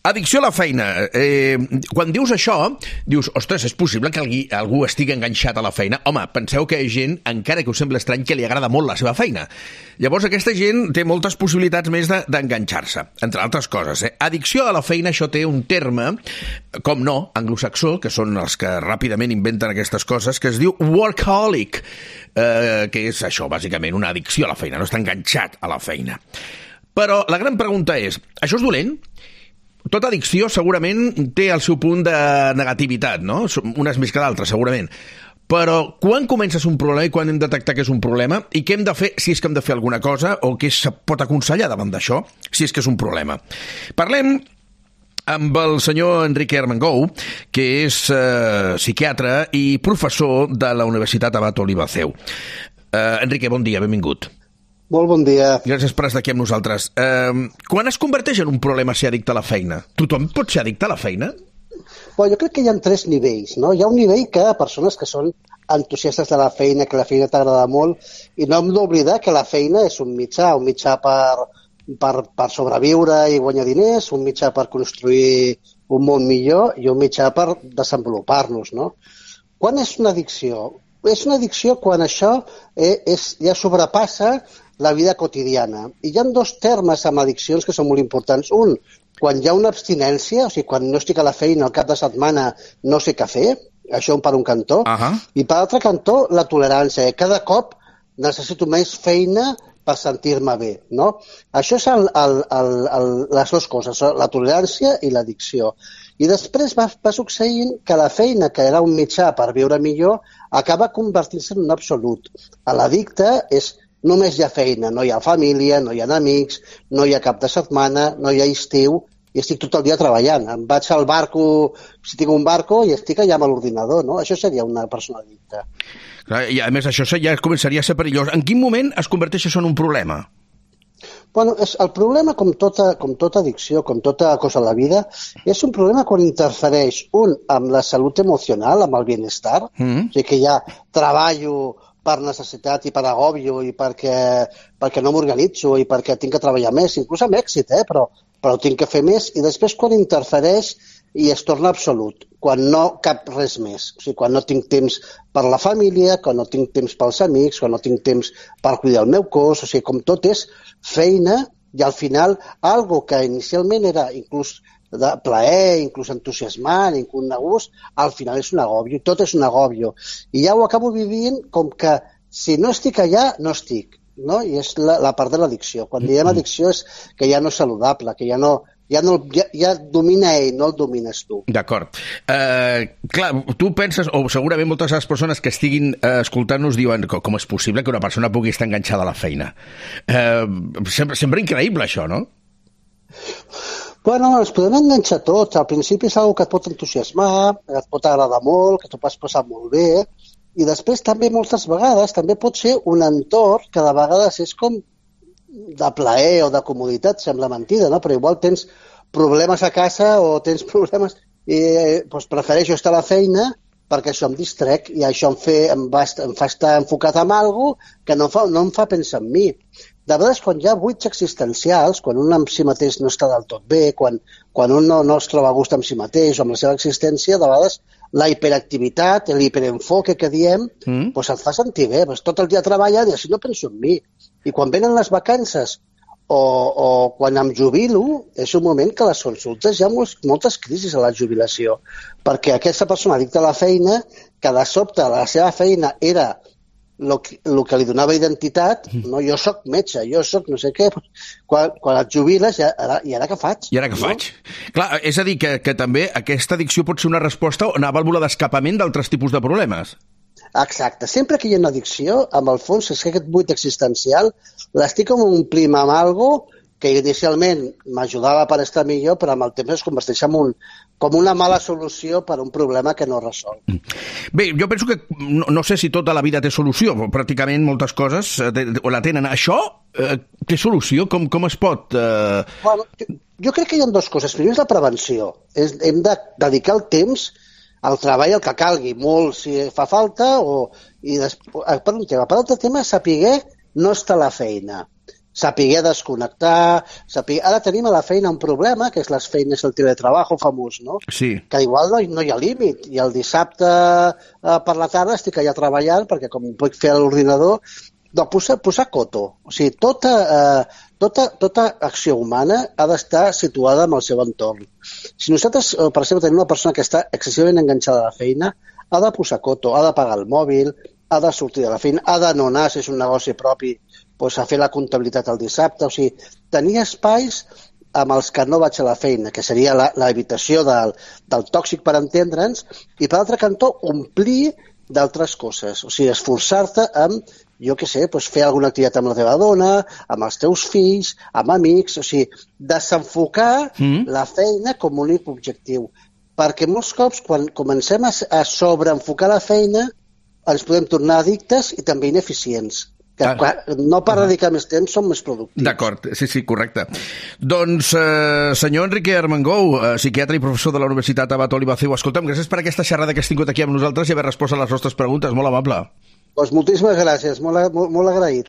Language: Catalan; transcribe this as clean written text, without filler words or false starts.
Addicció a la feina. Quan dius això, dius, ostres, és possible que algú estigui enganxat a la feina? Home, penseu que hi ha gent, encara que us sembla estrany, que li agrada molt la seva feina. Llavors, aquesta gent té moltes possibilitats més d'enganxar-se, entre altres coses. Addicció a la feina, això té un terme, com no, anglosaxó, que són els que ràpidament inventen aquestes coses, que es diu workaholic, que és això, bàsicament, una addicció a la feina, no està enganxat a la feina. Però la gran pregunta és, això és dolent? Tota addicció segurament té el seu punt de negativitat, no? Unes més que d'altres, segurament. Però quan comença a ser un problema i quan hem de detectar que és un problema i què hem de fer, si és que hem de fer alguna cosa, o què es pot aconsellar davant d'això, si és que és un problema. Parlem amb el senyor Enrique Armengou, que és psiquiatre i professor de la Universitat Abat Oliva Seu. Enrique, bon dia, benvingut. Molt bon dia. Gràcies per estar aquí amb nosaltres. Quan es converteix en un problema ser addicte a la feina? Tothom pot ser addicte a la feina? Bueno, jo crec que hi ha 3 nivells, no? Hi ha un nivell que persones que són entusiastes de la feina, que la feina t'agrada molt, i no hem d'oblidar que la feina és un mitjà per sobreviure i guanyar diners, un mitjà per construir un món millor i un mitjà per desenvolupar-nos, no? Quan és una addicció? És una addicció quan això ja sobrepassa la vida quotidiana. I hi ha 2 termes amb addiccions que són molt importants. Un, quan hi ha una abstinència, o sigui, quan no estic a la feina al cap de setmana no sé què fer, això per un cantó, i per l'altre cantó la tolerància. Cada cop necessito més feina per sentir-me bé, no? Això és les 2 coses, la tolerància i l'addicció. I després va succeint que la feina, que era un mitjà per viure millor, acaba convertint-se en un absolut. A l'addicte només hi ha feina, no hi ha família, no hi ha amics, no hi ha cap de setmana, no hi ha estiu, i estic tot el dia treballant. Em vaig al barco, si tinc un barco, i estic allà amb l'ordinador, no? Això seria una persona addicta. I a més, això ja començaria a ser perillós. En quin moment es converteix això en un problema? Bueno, el problema, com tota addicció, com tota cosa a la vida, és un problema quan interfereix amb la salut emocional, amb el benestar, o sigui que ja treballo per necessitat i per agòbio i perquè no m'organitzo i perquè tinc que treballar més, inclús amb èxit, però tinc que fer més, i després quan interfereix i es torna absolut, quan no cap res més, o sigui, quan no tinc temps per la família, quan no tinc temps pels amics, quan no tinc temps per cuidar el meu cos, o sigui, com tot és feina i al final algo que inicialment era inclús de plaer, inclús entusiasmant, inclús de gust, al final és un agòbio, tot és un agòbio. I ja ho acabo vivint com que si no estic allà, no estic, no? I és la part de l'addicció. Quan diem addicció és que ja no és saludable, que ja domina ell, no el domines tu. D'acord. Clar, tu penses, o segurament moltes de les persones que estiguin escoltant-nos diuen com és possible que una persona pugui estar enganxada a la feina. Sembla increïble això, no? Bueno, ens podem enganxar tots. Al principi és una que et pot entusiasmar, que et pot agradar molt, que t'ho pots passar molt bé, i després també moltes vegades també pot ser un entorn que de vegades és com de plaer o de comoditat, sembla mentida, no? Però igual tens problemes a casa o tens problemes i doncs prefereixo estar a la feina perquè això em distrec i això em fa estar enfocat en alguna cosa que no em fa pensar en mi. De vegades, quan hi ha buits existencials, quan un amb si mateix no està del tot bé, quan un no es troba a gust amb si mateix o amb la seva existència, de vegades la hiperactivitat, l'hiperenfoque que diem, doncs et fa sentir bé. Tot el dia treballant i així no penso en mi. I quan venen les vacances o quan em jubilo, és un moment que a les consultes hi ha moltes crisis a la jubilació, perquè aquesta persona addicta a la feina, que de sobte la seva feina era el que li donava identitat, no? Jo soc metge, jo soc no sé què, quan et jubiles, i ara què faig? I ara què faig? Clar, és a dir, que també aquesta addicció pot ser una resposta o una vàlvula d'escapament d'altres tipus de problemes. Exacte. Sempre que hi ha una addicció, amb el fons, és que aquest buit existencial l'estic com omplint amb alguna cosa que inicialment m'ajudava per estar millor, però amb el temps es converteix com una mala solució per a un problema que no resol. Bé, jo penso que no sé si tota la vida té solució, però pràcticament moltes coses la tenen. Això té solució? Com es pot? Bueno, jo crec que hi ha 2 coses. Primer és la prevenció. Hem de dedicar el temps al treball el que calgui, molt si fa falta, per un tema. Per l'altre tema, saber no estar a la feina. Saber desconnectar, Ara tenim a la feina un problema, que és les feines del teletrabajo famós, no? Sí. Que igual no hi ha límit, i el dissabte per la tarda estic allà treballant, perquè com ho puc fer a l'ordinador, posar coto. O sigui, tota acció humana ha d'estar situada en el seu entorn. Si nosaltres, per exemple, tenim una persona que està excessivament enganxada a la feina, ha de posar coto, ha de pagar el mòbil, ha de sortir de la feina, ha de no anar, si és un negoci propi, doncs, a fer la comptabilitat el dissabte. O sigui, tenir espais amb els que no vaig a la feina, que seria l'evitació del tòxic, per entendre'ns, i per altre cantó, omplir d'altres coses. O sigui, esforçar-te amb, jo què sé, doncs fer alguna activitat amb la teva dona, amb els teus fills, amb amics, o sigui, desenfocar la feina com un únic objectiu. Perquè molts cops, quan comencem a sobreenfocar la feina, ens podem tornar addictes i també ineficients. No per dedicar més temps som més productius. D'acord, sí, correcte. Doncs, senyor Enrique Armengou, psiquiatre i professor de la Universitat Abat Oliva-Ciu, escolta'm, gràcies per aquesta xerrada que has tingut aquí amb nosaltres i haver respost a les nostres preguntes, molt amable. Doncs moltíssimes gràcies, molt agraït.